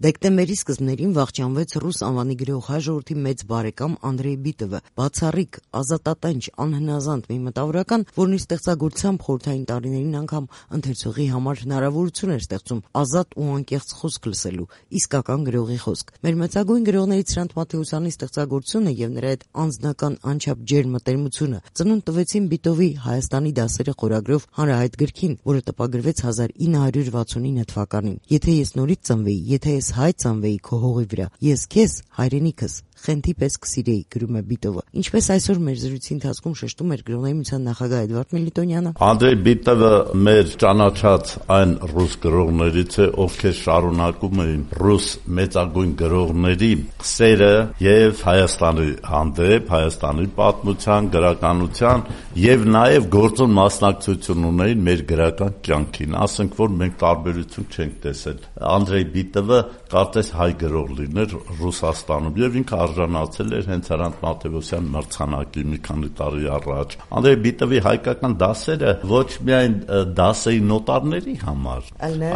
Դեկտեմբերի սկզբներին վախճանվեց ռուս անվանի գրող հայ ժողովրդի մեծ բարեկամ Անդրեյ Բիտովը, բացառիկ, ազատատենչ, անհնազանդ մի մտավորական, որն իր ստեղծագործությամբ խորհրդային տարիներին անգամ ընթերցողի համար հնարավորություն էր ստեղծում ազատ ու անկեղծ խոսք լսելու, իսկական գրողի խոսք։ Մեր մեծագույն գրողներից Հրանտ Մաթեոսյանի ստեղծագործությունը եւ նրա այդ անձնական անչափ ջերմ մտերմությունը ծնունդ տվեցին Բիտովի Հայաստանի դասերը խորագրով հանրահայտ գրքին, որը տպագրվեց 1969 թվականին։ Եթե ես նորից ծնվեի, եթե ես հայ ծնվեի քո հողի վրա, ես քեզ, հայրենիքս, խենթի պես կսիրեի, գրում է Բիտովը։ Ինչպես այսօր մեր զրույցի ընթացքում շեշտում էր գրողների միության նախագահ Էդվարդ Միլիտոնյանը, Անդրեյ Բիտովը մեր ճանաչած այն ռուս գրողներից է, ովքեր շարունակում էին ռուս մեծագույն գրողների սերը եւ Հայաստանի հանդեպ, Հայաստանի պատմության, գրականության եւ նաեւ գործուն մասնակցություն ունեին մեր գրական կյանքին, ասենք որ մենք տարբերություն չենք տեսել։ Անդրեյ Բիտովը կարծես հայ գրող լիներ Ռուսաստանում եւ ինքը արժանացել էր հենց Հրանտ Մաթեոսյան մրցանակի մի քանի տարի առաջ։ Անդրեյ Բիտովի հայկական դասերը ոչ միայն դաս էին նոտարների համար,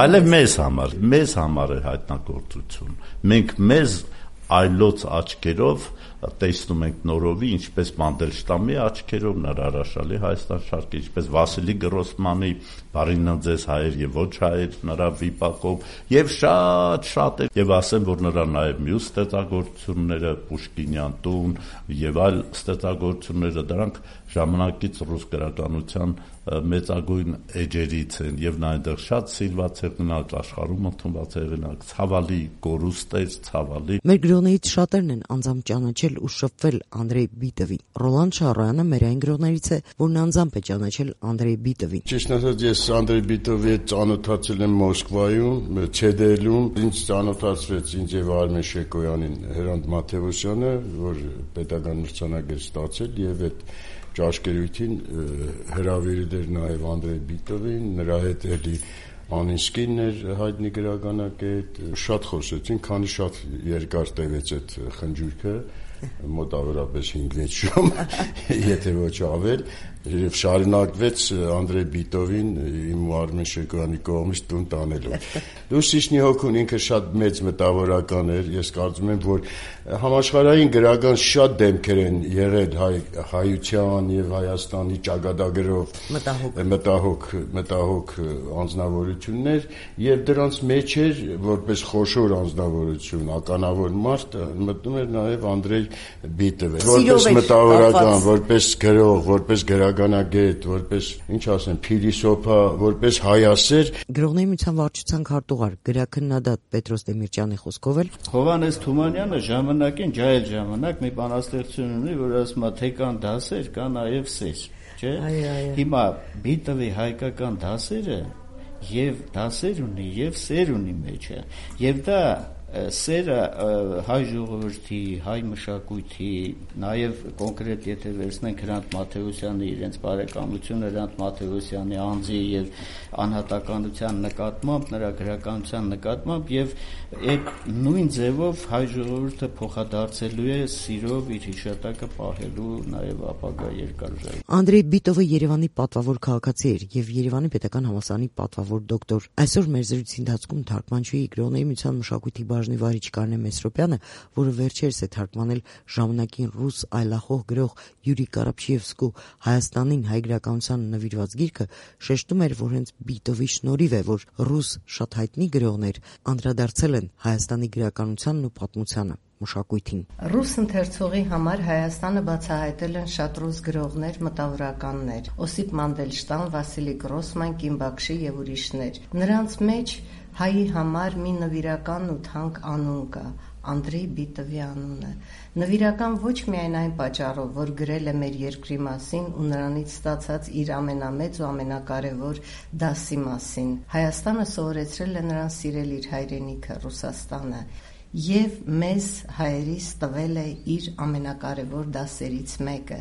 այլև մեզ համար է հայտնագործություն։ Մենք մեզ այլոց աչքերով տեսնում ենք նորովի, ինչպես Մանդելշտամի աչքերով, նրա հրաշալի Հայաստան շարքի, ինչպես Վասիլի Գրոսմանի «Բարին ձեզ հայեր եւ ոչ հայեր» նրա վիպակով եւ շատ եւ ասեմ, որ նրա նաեւ մյուս ստեղծագործությունները Պուշկինյան տուն եւ այլ ստեղծագործությունները դրանք ժամանակից ռուս գրականության մեծագույն էջերից են եւ նա այնտեղ շատ սիրված հեղինակ, աշխարհում ընդունված հեղինակ, ցավալի կորուստեր, ցավալի։ Մեր գրողներից շատերն են անձամբ ճանաչել ու շփվել Անդրեյ Բիտովին։ Ռոլանդ Շարոյանը մեր այն գրողներից է, որն անձամբ է ճանաչել Անդրեյ Բիտովին։ Ճիշտ ասած, ես Անդրեյ Բիտովի հետ ծանոթացել եմ Մոսկվայում, ՉԴԼ-ում, ինձ ծանոթացրեց ինձ եւ Արմեն Շեկոյանին Հրանտ Մաթեոսյանը, որ պետական մրցանակ էր ստացել եւ այդ ճաշկերույթին հրավիրել էր նաև Անդրեյ Բիտովին, նրա հետ էլի Անինսկին էր հայտնի գրականագետ, շատ խոսեցին, քանի շատ երկար տևեց այդ խնջույքը, մոտավորապես 5-6 ժամ, եթե ոչ ավել, եւ շարունակվեց Անդրեյ Բիտովին իմ ու Արմեն Շեկոյանի կողմից տուն տանելով։ Լուսիշնի հոգուն ինքը շատ մեծ մտավորական էր, ես կարծում եմ, որ համաշխարհային գրական շատ դեմքեր են եղել հայության եւ Հայաստանի ճակատագրով մտահոգ անձնավորություններ եւ դրանց մեջ էր որպես խոշոր անձնավորություն, ականավոր մարդ մտնում էր նաեւ Անդրեյ Բիտովը, որպես մտավորական, որպես գրող, որպես գրականագետ, որպես, ինչ ասեմ, փիլիսոփա, որպես հայասեր։ Գրողների միության վարչության քարտուղար, գրաքննադատ Պետրոս Դեմիրճյանի խոսքով էլ Հովհաննես Թումանյանը ժամանակին ջահել ժամանակ մի բանաստեղծություն ունի, որ ասում է թե կան դասեր, կա նաև սեր, չէ՞։ Հիմա Բիտովի հայկական դասերը եւ դասեր ունի եւ սեր ունի մեջը, եւ դա սերը հայ ժողովրդի, հայ մշակույթի, նաև կոնկրետ եթե վերցնենք Հրանտ Մաթեոսյանի իրենց բարեկամությունը Հրանտ Մաթեոսյանի անձի եւ անհատականության նկատմամբ, նրա գրականության նկատմամբ եւ այդ նույն ձևով հայ ժողովուրդը փոխադարձելու է սիրով իր հիշատակը պահելու նաև ապագա երկարաժամի։ Անդրեյ Բիտովը Երևանի պատվավոր քաղաքացի էր եւ Երևանի պետական համալսարանի պատվավոր դոկտոր։ Այսօր մեր զրույցի ընթացքում թարգմանչուհի գրողների միության մշակույթի բաժնի վարիչ Կարինե Մեսրոպյանը, որը վերջերս է թարգմանել ժամանակին ռուս այլախոհ գրող Յուրի Կարապչիևսկու Հայաստանին հայ գրականությանը նվիրված գիրքը, շեշտում էր, որ հենց Բիտովի շնորհիվ է, որ ռուս շատ հայտնի գրողներ անդրադարձել են Հայաստանի գրականությանն ու պատմությանը, մշակույթին։ Ռուս ընթերցողի համար Հայաստանը բացահայտել են շատ ռուս գրողներ, մտավորականներ՝ Օսիպ Մանդելշտամ, Վասիլի Գրոսման, Կիմ Բաքշի եւ ուրիշներ։ Նրանց մեջ հայի համար մի նվիրական ու թանկ անուն կա՝ Անդրեյ Բիտովի անունը։ Նվիրական ոչ միայն այն պատճառով, որ գրել է մեր երկրի մասին ու նրանից ստացած իր ամենամեծ ու ամենակարևոր դասի մասին։ Հայաստանը սովորեցրել է նրան սիրել իր հայրենիքը Ռուսաստանը եւ մեզ հայերիս տվել է իր ամենակարևոր դասերից մեկը։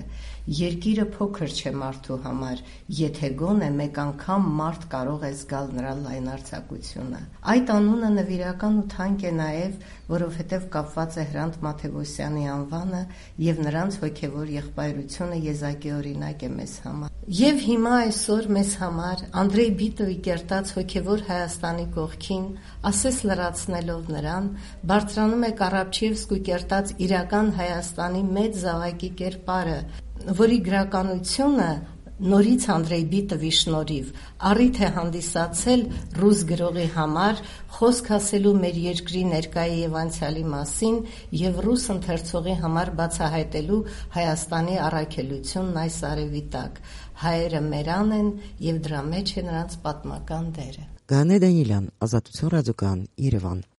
Երկիրը փոքր չէ մարդու համար, եթե գոնե մեկ անգամ մարդ կարող է զգալ նրա լայնարձակությունը։ Այդ անունը նվիրական ու թանկ է նաև, որովհետև կապված է Հրանտ Մաթեոսյանի անվանը եւ նրանց հոգեվոր եղբայրությունը եզակի օրինակ է մեզ համար։ Եվ հիմա այսօր մեզ համար Անդրեյ Բիտովի կերտած հոգևոր Հայաստանի կողքին, ասես լրացնելով նրան, բարձրանում է Կարապչևսկու կերտած իրական Հայաստանի մեծ զավակի կերպարը, որի գրականությունը նորից Անդրեյ Բիտովի շնորհիվ առիթ է հանդիսացել ռուս գրողի համար խոսք ասելու մեր երկրի ներկայի եւ անցյալի մասին եւ ռուս ընթերցողի համար բացահայտելու Հայաստանի առաքելությունն այս արևի տակ։ Հայերը մերան են եւ դրա մեջ է նրանց պատմական դերը։ Գանե Դանիելյան, Ազատություն ռադիոկայան, Երևան։